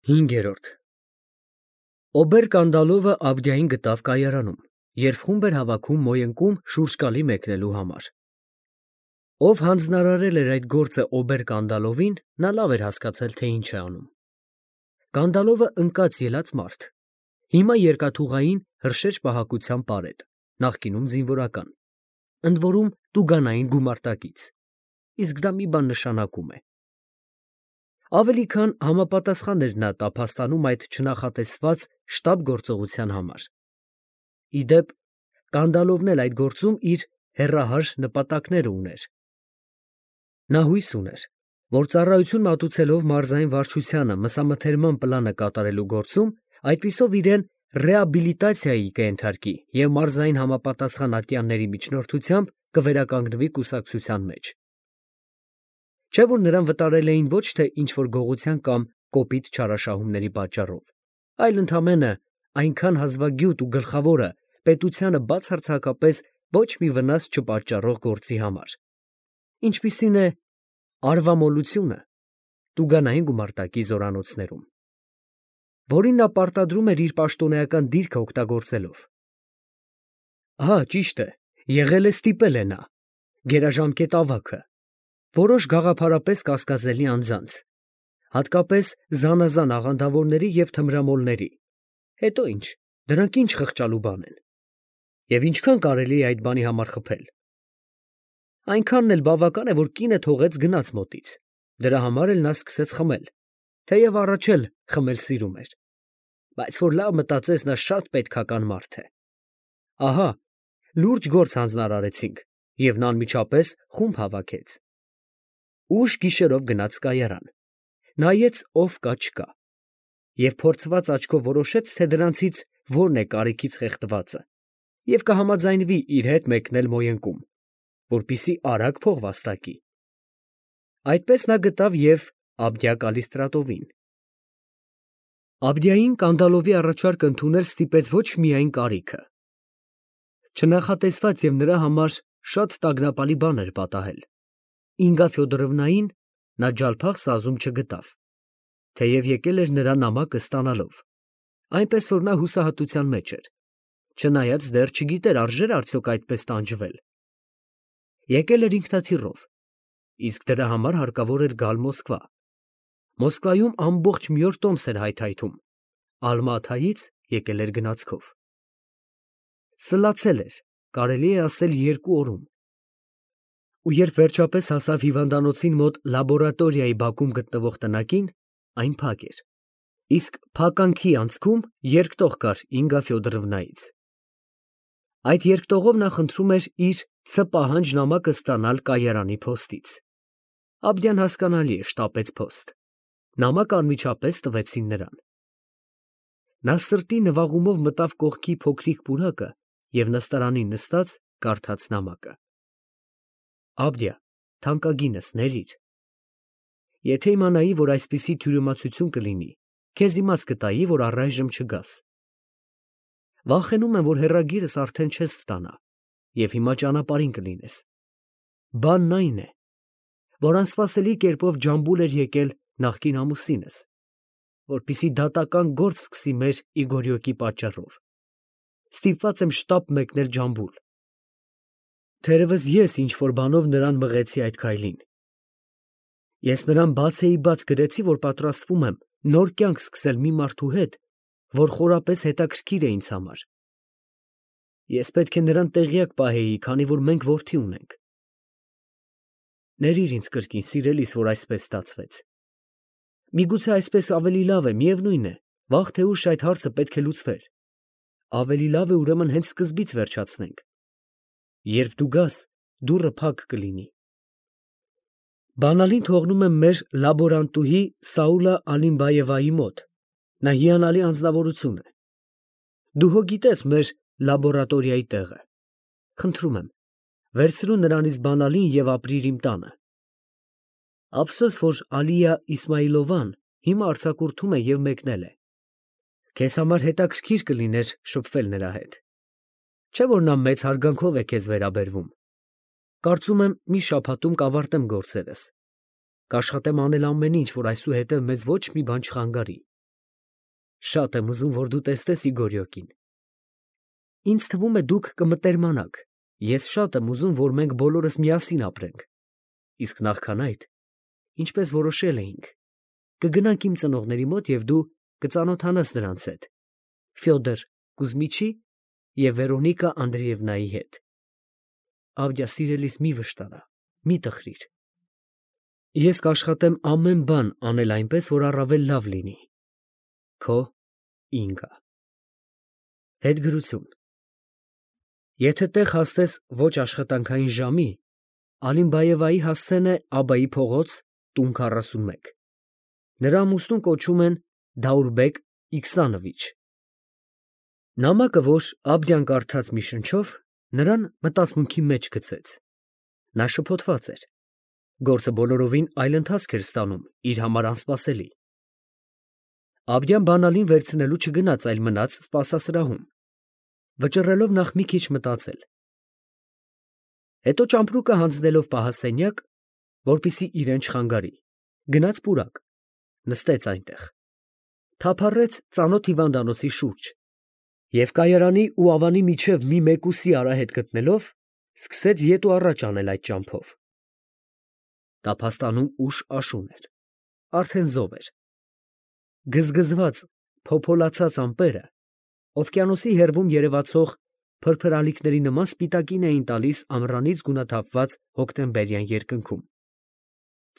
5-րդ Օբեր-Կանդալովը Աբդիային գտավ կայարանում, երբ խումբ էր հավաքում Մոյընկում շուրջկալի մեկնելու համար։ Ով հանձնարարել էր այդ գործը Օբեր-Կանդալովին, նա լավ էր հասկացել, թե ինչ է անում։ Կանդալովը ընկած ելած մարդ, հիմա երկաթուղային հրշեջ պահակության պարետ, նախկինում զինվորական, ընդ որում տուգանային գումարտակից, իսկ դա մի բան նշանակում է։ Ավելի քան համապատասխան էր նա տափաստանում այդ չնախատեսված շտապ գործողության համար։ Ի դեպ, Կանդալովն էլ այդ գործում իր հեռահար նպատակները ուներ։ Նա հույս ուներ, որ ծառայություն մատուցելով մարզային վարչությանը մսամթերման պլանը կատարելու գործում, այդպիսով իրեն ռեաբիլիտացիայի կենթարկի և մարզային համապատասխան ատյանների միջնորդությամբ կվերականգնվի կուսակցության մեջ։ Չէ՞ որ նրան վտարել էին ոչ թե ինչ-որ գողության կամ կոպիտ չարաշահումների պատճառով, այլ ընդամենը այնքան հազվագյուտ ու գլխավորը պետությանը բացարձակապես ոչ մի վնաս չպատճառող գործի համար, ինչպիսին է արվամոլությունը տուգանային գումարտակի զորանոցներում, որին նա պարտադրում էր իր պաշտոնեական դիրքը օգտագործելով։ Հա, ճիշտ է, եղել է ստիպել է նա, գերաժամկետ ավագը, որոշ գաղափարապես կասկածելի անձանց, հատկապես զանազան աղանդավորների և թմրամոլների, հետո ինչ, դրանք ինչ խղճալու բան են, և ինչքան կարելի է այդ բանի համար խփել։ Այնքանն էլ բավական է, որ կինը թողեց գնաց մոտից, դրա համար էլ նա սկսեց խմել, թեև առաջ էլ խմել սիրում էր, բայց որ լավ մտածեց, նա շատ պետքական մարդ է։ Ահա, լուրջ գործ հանձնարարեցինք, և նա անմիջապես խումբ հավաքեց։ Ուշ գիշերով գնաց կայարան, նայեց ով կա չկա, և փորձված աչքով որոշեց, թե դրանցից որն է կարիքից խեղդվածը, և կհամաձայնվի իր հետ մեկնել Մոյընկում, որպեսզի արագ փող վաստակի։ Այդպես նա գտավ և Աբդիա֊Կալիստրատովին։ Աբդիային Կանդալովի առաջարկը ընդունել ստիպեց ոչ միայն կարիքը։ Չնախատեսված և նրա համար շատ տագնապալի բան էր պատահել. Ինգա Ֆյոդորովնային նա ջալփախ սազում չգտավ, թեև եկել էր նրա նամակը ստանալով, այնպես որ նա հուսահատության մեջ էր, չնայած դեռ չգիտեր արժե՞ր արդյոք այդպես տանջվել։ Եկել էր ինքնաթիռով, իսկ դրա համար հարկավոր էր գալ Մոսկվա։ Մոսկվայում ամբողջ մի օր տոմս էր հայթայթում, Ալմաթայից եկել էր գնացքով։ Սլացել էր, կարելի է ասել 2 օրում։ Ու երբ վերջապես հասավ հիվանդանոցին մոտ լաբորատորիայի բակում գտնվող տնակին, այն փակ էր, իսկ փականքի անցքում երկտող կար Ինգա Ֆյոդորովնայից։ Այդ երկտողով նա խնդրում էր իր C պահանջ նամակը ստանալ կայարանի փոստից։ Աբդիան, հասկանալի է, շտապեց փոստ։ Նամակը անմիջապես տվեցին նրան։ Նա սրտի նվաղումով մտավ կողքի փոքրիկ պուրակը և նստարանին նստած կարդաց նամակը. Աբդիա, թանկագինս, ներիր։ Եթե իմանայի, որ այսպիսի թյուրիմացություն կլինի, քեզ իմաց կտայի, որ առայժմ չգաս։ Վախենում եմ, որ հեռագիրս արդեն չես ստանա, և հիմա ճանապարհին կլինես։ Բանն այն է, որ անսպասելի կերպով Ջամբուլ էր եկել նախկին ամուսինս, որպեսզի դատական գործ սկսի մեր Իգորյոկի պատճառով։ Ստիպված եմ շտապ մեկնել Ջամբուլ։ Թերևս ես ինչ֊որ բանով նրան մղեցի այդ քայլին։ Ես նրան բաց գրեցի, որ պատրաստվում եմ նոր կյանք սկսել մի մարդու հետ, որ խորապես հետաքրքիր է ինձ համար։ Ես պետք է նրան տեղյակ պահեի, քանի որ մենք որդի ունենք։ Ներիր ինձ կրկին, սիրելիս, որ այսպես ստացվեց։ Միգուցե այսպես ավելի լավ է, միևնույն է, վաղ թե ուշ այդ հարցը պետք է լուծվեր։ Ավելի լավ է ուրեմն հենց սկզբից վերջացնենք։ Երբ դու գաս, դուռը փակ կլինի։ Բանալին թողնում եմ մեր լաբորանտուհի Սաուլա Ալիմբաևայի մոտ, նա հիանալի անձնավորություն է։ Դու հո գիտես մեր լաբորատորիայի տեղը։ Խնդրում եմ, վերցրու նրանից բանալին և ապրիր իմ տանը։ Ափսոս, որ Ալիա Իսմայիլովան հիմա արձակուրդում է և մեկնել է։ Քեզ համար հետաքրքիր կլիներ շփվել նրա հետ։ Չէ՞ որ նա մեծ հարգանքով է քեզ վերաբերվում։ Կարծում եմ, մի շաբաթում կավարտեմ գործերս։ Կաշխատեմ անել ամեն ինչ, որ այսուհետև մեզ ոչ մի բան չխանգարի։ Շատ եմ ուզում, որ դու տեսնես Իգորյոկին։ Ինձ թվում է դուք կմտերմանաք։ Ես շատ եմ ուզում, որ մենք բոլորս միասին ապրենք։ Իսկ նախքան այդ, ինչպես որոշել էինք, կգնանք իմ ծնողների մոտ և դու կծանոթանաս նրանց հետ, Ֆյոդոր Կուզմիչի և Վերոնիկա Անդրեևնայի հետ։ Ավդյա, սիրելիս, մի վշտանա, մի տխրիր։ Ես կաշխատեմ ամեն բան անել այնպես, որ առավել լավ լինի։ Քո Ինգա։ Հետգրություն։ Եթե տեղ հասնես ոչ աշխատանքային ժամի, Ալիմբաևայի հասցեն է Աբայի փողոց, տուն 41։ Նրա ամուսնուն կոչում են Դաուրբեկ Իքսանովիչ։ Նամակը, որ Աբդյան կարդաց մի շնչով, նրան մտածմունքի մեջ գցեց։ Նա շփոթված էր։ Գործը բոլորովին այլ ընթացք էր ստանում, իր համար անսպասելի։ Աբդյան բանալին վերցնելու չգնաց, այլ մնաց սպասասրահում, վճռելով նախ մի քիչ մտածել։ Հետո ճամպրուկը հանձնելով պահասենյակ, որպեսզի իրեն չխանգարի, գնաց պուրակ, նստեց այնտեղ, թափառեց ծանոթ հիվանդանոցի շուրջ և կայարանի ու Ավանի միջև մի մեկուսի արահետ գտնելով, սկսեց ետ ու առաջ անել այդ ճամփով։ Տափաստանում ուշ աշուն էր, արդեն զով էր։ Գզգզված, փոփոլացած ամպերը օվկիանոսի հեռվում երևացող փրփրալիքների նման սպիտակին էին տալիս ամռանից գունաթափված հոկտեմբերյան երկնքում։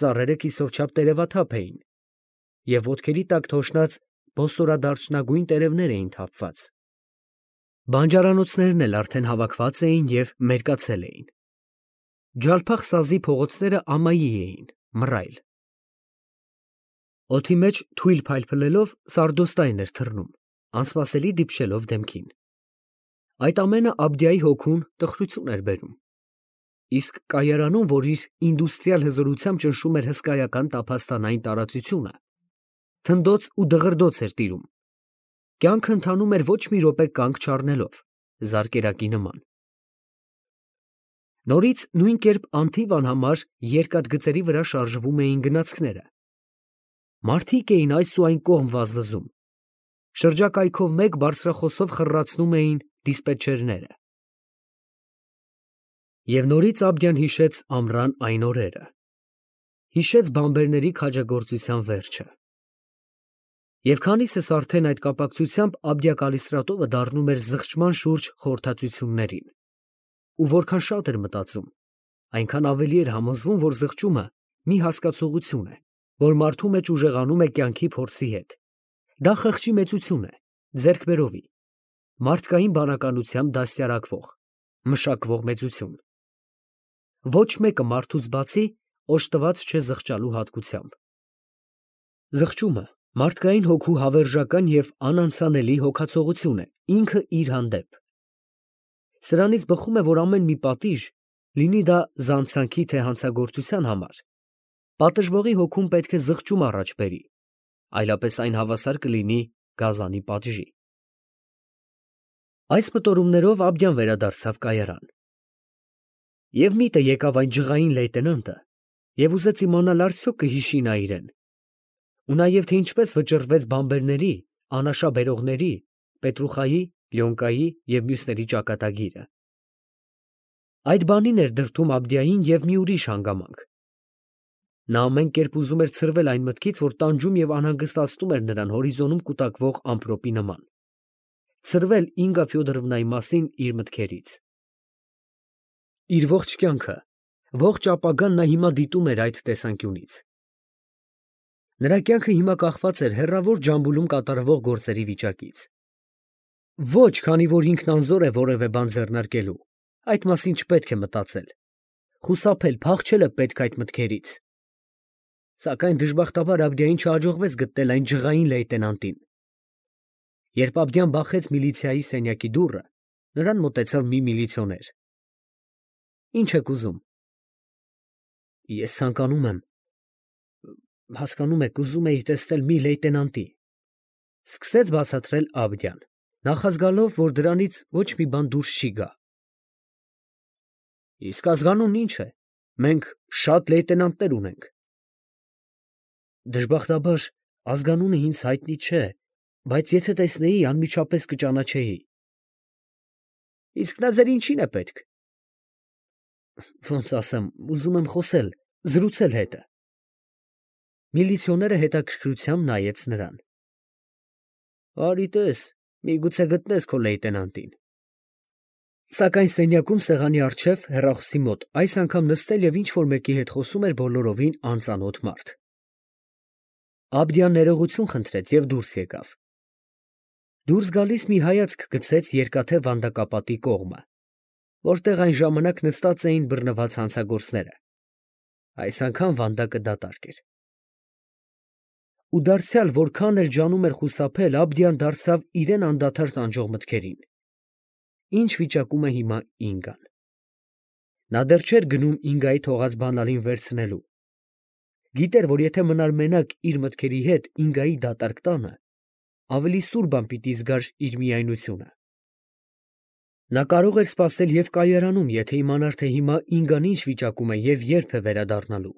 Ծառերը կիսով չափ տերևաթափ էին, և ոտքերի տակ թոշնած բոսորադարչնագույն տերևներ էին թափված։ Բանջարանոցներն էլ արդեն հավաքված էին և մերկացել էին։ Ջալփախ սազի փողոցները ամայի էին, մռայլ։ Օդի մեջ թույլ փայլփլելով սարդոստայն էր թռնում, անսպասելի դիպչելով դեմքին։ Այդ ամենը Աբդյայի հոգուն տխրություն էր բերում։ Իսկ կայարանում, որ իր ինդուստրիալ հզորությամբ ճնշում էր հսկայական տափաստանային տարածությունը, թնդոց ու դղրդոց էր տիրում։ Կյանքը ընթանում էր ոչ մի րոպե կանգ չառնելով, զարկերակի նման։ Նորից նույն կերպ անթիվ անհամար երկաթգծերի վրա շարժվում էին գնացքները։ Մարդիկ էին այս ու այն կողմ վազվզում։ Շրջակայքով մեկ բարձրախոսով խռռացնում էին դիսպետչերները։ Եվ նորից Աբդյան հիշեց ամռան այն օրերը։ Հիշեց բանբերների քաջագործության վերջը։ Եվ քանիսս արդեն այդ կապակցությամբ Աբդյա Կալիստրատովը դառնում էր զղջման շուրջ խորհրդածություններին։ Ու որքան շատ էր մտածում, այնքան ավելի էր համոզվում, որ զղջումը մի հասկացողություն է, որ մարդու մեջ ուժեղանում է կյանքի փորձի հետ։ Դա խղճի մեծություն է, ձեռքբերովի, մարդկային բանականությամբ դաստիարակվող, մշակվող մեծություն։ Ոչ մեկը մարդուց բացի օժտված չէ զղջալու հատկությամբ։ Զղջումը մարդկային հոգու հավերժական և անանցանելի հոգացողություն է, ինքը իր հանդեպ։ Սրանից բխում է, որ ամեն մի պատիժ, լինի դա զանցանքի թե հանցագործության համար, պատժվողի հոգում պետք է զղջում առաջ բերի, այլապես այն հավասար կլինի գազանի պատժի։ Այս մտորումներով Աբդյան վերադարձավ կայարան։ Եվ միտը եկավ այն ջղային լեյտենանտը և ուզեց իմանալ արդյոք կհիշի նա իրեն, ու նաև թե ինչպես վճռվեց բանբերների, անաշա բերողների, Պետրուխայի, Լյոնկայի և մյուսների ճակատագիրը։ Այդ բանին էր դրդում Աբդյային և մի ուրիշ հանգամանք։ Նա ամեն կերպ ուզում էր ցրվել այն մտքից, որ տանջում և անհանգստացնում էր նրան հորիզոնում կուտակվող ամպրոպի նման, ցրվել Ինգա Ֆյոդորովնայի մասին իր մտքերից։ Իր ողջ կյանքը, ողջ ապագան նա հիմա դիտում էր այդ տեսանկյունից։ Նրա կյանքը հիմա կախված էր հեռավոր Ջամբուլում կատարվող գործերի վիճակից։ Ոչ, քանի որ ինքն անզոր է որևէ բան ձեռնարկելու, այդ մասին չպետք է մտածել։ Խուսափել, փախչել է պետք այդ մտքերից։ Սակայն դժբախտաբար Աբդյային չհաջողվեց գտնել այն ջղային լեյտենանտին։ Երբ Աբդյան բախեց միլիցիայի սենյակի դուռը, նրան մոտեցավ մի միլիցիոներ։ Ինչ եք ուզում։ Ես ցանկանում եմ, հասկանում եք, ուզում էի տեսնել մի լեյտենանտի, սկսեց բացատրել Աբդյան, նախազգալով, որ դրանից ոչ մի բան դուրս չի գա։ Իսկ ազգանունն ինչ է, մենք շատ լեյտենանտներ ունենք։ Դժբախտաբար ազգանունը ինձ հայտնի չէ, Բայց եթե տեսնեի, անմիջապես կճանաչեի։ Իսկ նա ձեր ինչին է պետք։ Ոնց ասեմ, ուզում եմ խոսել, զրուցել հետը։ Միլիցիոները հետաքրքրությամբ նայեց նրան։ Արի տես, միգուցե գտնես քո լեյտենանտին։ Սակայն սենյակում սեղանի առջև հեռախոսի մոտ այս անգամ նստել և ինչ-որ մեկի հետ խոսում էր բոլորովին անծանոթ մարդ։ Աբդիան ներողություն խնդրեց և դուրս եկավ։ Դուրս գալիս մի հայացք գցեց երկաթե վանդակապատի կողմը, որտեղ այն ժամանակ նստած էին բռնված հանցագործները։ Այս անգամ վանդակը դատարկ էր։ Ու դարձյալ որքան էլ ջանում էր խուսափել, Աբդիան դարձավ իրեն անդադար տանջող մտքերին։ Ինչ վիճակում է հիմա Ինգան։ Նա դեռ չէր գնում Ինգայի թողած բանալին վերցնելու։ Գիտեր, որ եթե մնար մենակ իր մտքերի հետ Ինգայի դատարկ տանը, ավելի սուր բան պիտի զգար իր միայնությունը։ Նա կարող էր սպասել և կայարանում, եթե իմանար, թե հիմա Ինգան ինչ վիճակում է և երբ է վերադառնալու։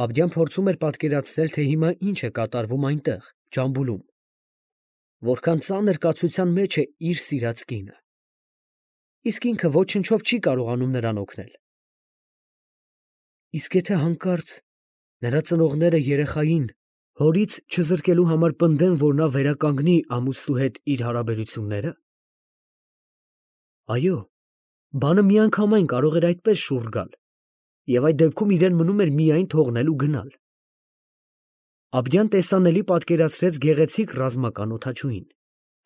Աբդիան փորձում էր պատկերացնել, թե հիմա ինչ է կատարվում այնտեղ, Ջամբուլում, որքան ծանր կացության մեջ է իր սիրած կինը։ Իսկ ինքը ոչնչով չի կարողանում նրան օգնել։ Իսկ եթե հանկարծ նրա ծնողները երեխային հորից չզրկելու համար պնդեն, որ նա վերականգնի ամուսնու հետ իր հարաբերությունները։ Այո, բանը միանգամայն կարող էր այդպես շուռ գալ, և այդ դեպքում իրեն մնում էր միայն թողնել ու գնալ։ Աբդիան տեսանելի պատկերացրեց գեղեցիկ ռազմական օդաչուին,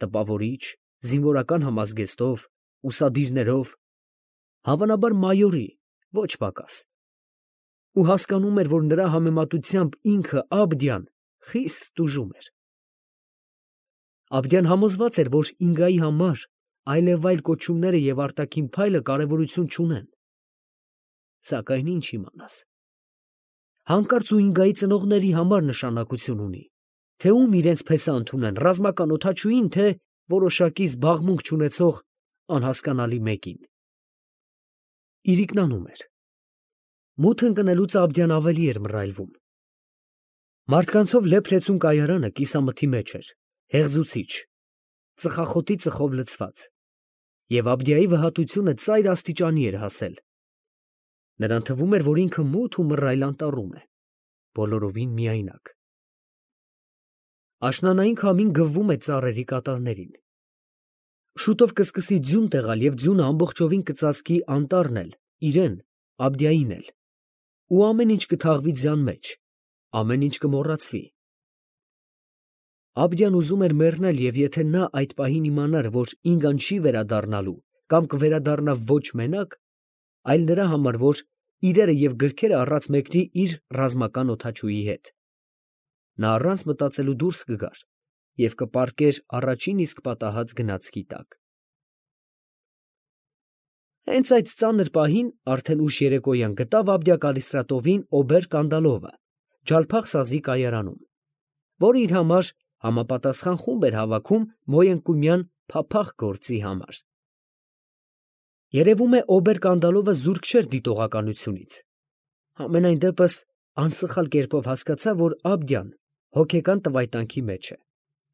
տպավորիչ, զինվորական համազգեստով, ուսադիրներով, հավանաբար մայորի, ոչ պակաս։ Ու հասկանում էր, որ նրա համեմատությամբ ինքը Աբդիան խիստ տուժում էր։ Աբդիան համոզված էր, որ Ինգայի համար այլևայլ կոչումները և արտաքին փայլը կարևորություն չունեն։ Սակայն ինչ իմանաս։ Հանկարծ ու Ինգայի ծնողների համար նշանակություն ունի, թե ում իրենց փեսա ընդունեն, ռազմական օդաչուին, թե որոշակի զբաղմունք չունեցող անհասկանալի մեկին։ Իրիկնանում էր։ Մութ ընկնելուց Աբդիան ավելի էր մռայլվում։ Մարդկանցով լեփ-լեցուն կայարանը կիսամթի մեջ էր, հեղձուցիչ, ծխախոտի ծխով լցված, և Աբդիայի վհատությունը ծայր աստիճանի էր հասել։ Նրան թվում էր, որ ինքը մութ ու մռայլ անտառում է, բոլորովին միայնակ։ Աշնանային քամին գվվում է ծառերի կատարներին։ Շուտով կսկսի ձյուն տեղալ և ձյունը ամբողջովին կծածկի անտառն էլ, իրեն, Աբդիային էլ, ու ամեն ինչ կթաղվի ձյան մեջ, ամեն ինչ կմոռացվի։ Աբդիան ուզում էր մեռնել, և եթե նա այդ պահին իմանար, որ Ինգան չի վերադառնալու կամ կվերադառնա ոչ մենակ, այլ նրա համար, որ իրերը և գրքերը առած մեկնի իր ռազմական օդաչուի հետ, նա առանց մտածելու դուրս կգար և կպառկեր առաջին իսկ պատահած գնացքի տակ։ Հենց այդ ծանր պահին արդեն ուշ երեկոյան գտավ Աբդիա Կալիստրատովին օբեր֊կանդալովը Ջալփախ սազի կայարանում, որը իր համար համապատասխան խումբ էր հավաքում Մոյընկումյան փափախ գործի համար։ Երևում է օբեր֊կանդալովը զուրկ չէր դիտողականությունից։ Համենայն դեպս անսխալ կերպով հասկացավ, որ Աբդիան հոգեկան տվայտանքի մեջ է,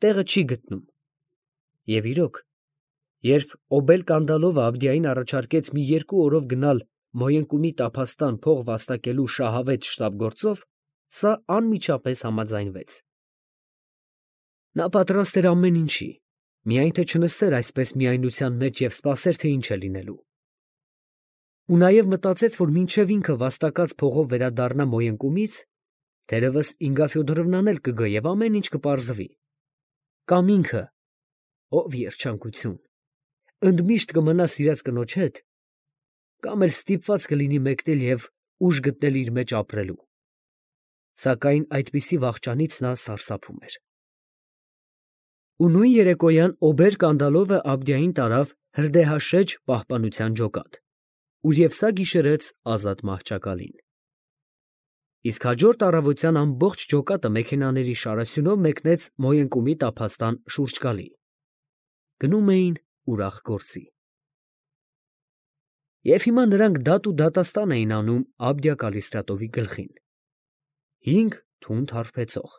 տեղը չի գտնում։ Եվ իրոք, երբ օբեր-կանդալովը Աբդիային առաջարկեց մի 2 օրով գնալ Մոյընկումի տափաստան փող վաստակելու շահավետ շտապգործով, սա անմիջապես համաձայնվեց։ Նա պատրաստ էր ամեն ինչի, միայն թե չնստեր այսպես միայնության մեջ և սպասեր, թե ինչ է լինելու։ Ու նաև մտածեց, որ մինչև ինքը վաստակած փողով վերադառնա Մոյընկումից, թերևս Ինգա Ֆյոդորովնան էլ կգա և ամեն ինչ կպարզվի։ Կամ ինքը, ով երջանկություն, ընդմիշտ կմնա սիրած կնոջ հետ, կամ էլ ստիպված կլինի մեկնել և ուժ գտնել իր մեջ ապրելու։ Սակայն այդպիսի վախճանից նա սարսափում էր։ Ու նույն երեկոյան օբեր֊կանդալովը Աբդիային տարավ Հրդեհաշեջ պահպանության ջոկատ, ուր և սա գիշերեց ազատ մահճակալին։ Իսկ հաջորդ առավոտյան ամբողջ ջոկատը մեքենաների շարասյունով մեկնեց Մոյընկումի տափաստան շուրջկալի։ Գնում էին ուրախ գործի։ Եվ հիմա նրանք դատ ու դատաստան էին անում Աբդիա Կալիստրատովի գլխին։ 5 թունդ հարբեցող,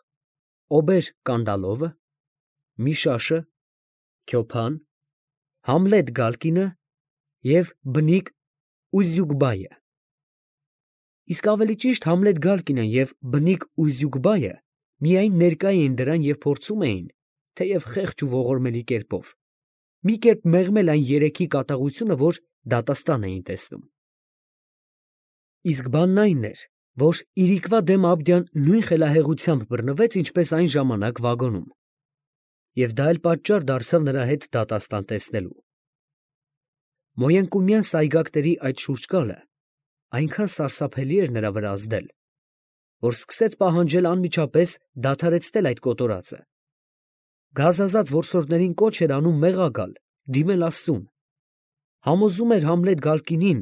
օբեր֊կանդալովը, Միշաշը, Քյոփան, Համլետ Գալկինը և բնիկ Ուզյուգբայը։ Իսկ ավելի ճիշտ Համլետ Գալկինն և բնիկ Ուզյուգբայը միայն ներկա էին դրան և փորձում էին, թեև խեղճ ու ողորմելի կերպով, մի կերպ մեղմել այն երեքի կատաղությունը, որ դատաստան էին տեսնում։ Իսկ բանն այն էր, որ իրիկվա դեմ Աբդյան նույն խելահեղությամբ բռնվեց, ինչպես այն ժամանակ վագոնում, և դա էլ պատճառ դարձավ նրա հետ դատաստան տեսնելու։ Մոյենկումյան սայգակների այդ շուրջկալը այնքան սարսափելի էր նրա վրա ազդել, որ սկսեց պահանջել անմիջապես դադարեցնել այդ կոտորածը։ Գազազած որսորդներին կոչ էր անում մեղա գալ, դիմել Աստծուն։ Համոզում էր Համլետ Գալկինին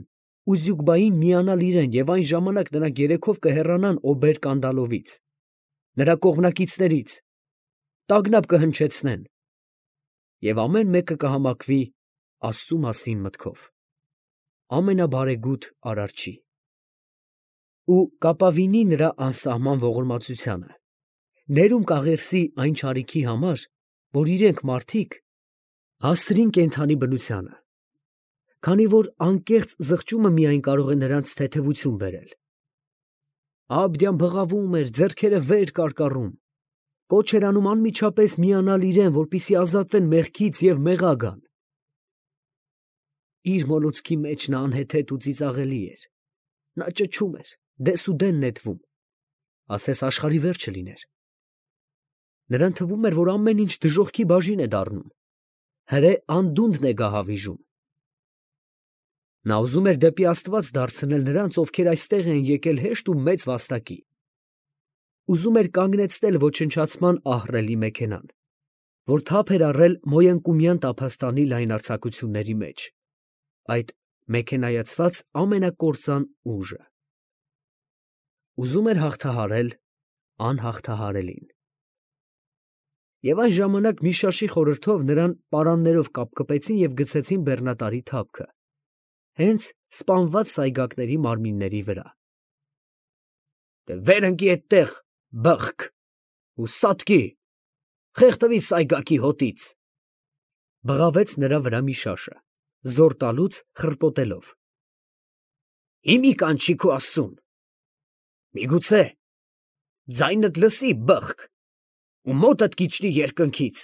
Ուզյուգբային միանալ իրեն և այն ժամանակ նրանք երեքով կհեռանան Օբեր֊Կանդալովից, նրա կողմնակիցներից, տագնապ կհնչեցնեն և ամեն մեկը կհամակվի Աստծու մասին մտքով, ամենաբարեգութ Արարչի, ու կապավինի նրա անսահման ողորմածությանը, ներում կաղերսի այն չարիքի համար, որ իրենք մարդիկ հասցրին կենդանի բնությանը, քանի որ անկեղծ զղջումը միայն կարող է նրանց թեթևություն բերել։ Աբդյան բղավում էր, ձեռքերը վեր կարկառում, կոչ էր անում անմիջապես միանալ իրեն, որպեսզի ազատվեն մեղքից և մեղա գան։ Իր մոլուցքի մեջ նա անհեթեթ ու ծիծաղելի էր, նա ճչում էր, դեսուդեն նետվում, ասես աշխարհի վերջը լիներ։ Նրան թվում էր, որ ամեն ինչ դժոխքի բաժին է դառնում, հրե անդունդն է գահավիժում։ Նա ուզում էր դեպի Աստված դարձնել նրանց, ովքեր այստեղ են եկել հեշտ ու մեծ վաստակի։ Ուզում էր կանգնեցնել ոչնչացման ահռելի մեքենան, որ թափ էր առել Մոյենկումյան տափաստանի լայնարձակությունների մեջ, այդ մեքենայացված ամենակործան ուժը։ Ուզում էր հաղթահարել անհաղթահարելին։ Եվ այն ժամանակ Միշաշի խորհրդով նրան պարաններով կապկպեցին և գցեցին բեռնատարի թափքը, հենց սպանված սայգակների մարմինների վրա։ «Վեր ընկի էդտեղ, բըխկ, ու սատկի, խեղդվի սայգակի հոտից», ֊ բղավեց նրա վրա Միշաշը, զոռ տալուց խռպոտելով։ «Հիմի կանչի քո Աստծուն, միգուցե ձայնդ լսի, բըխկ, ու մոտդ կիջնի երկնքից»։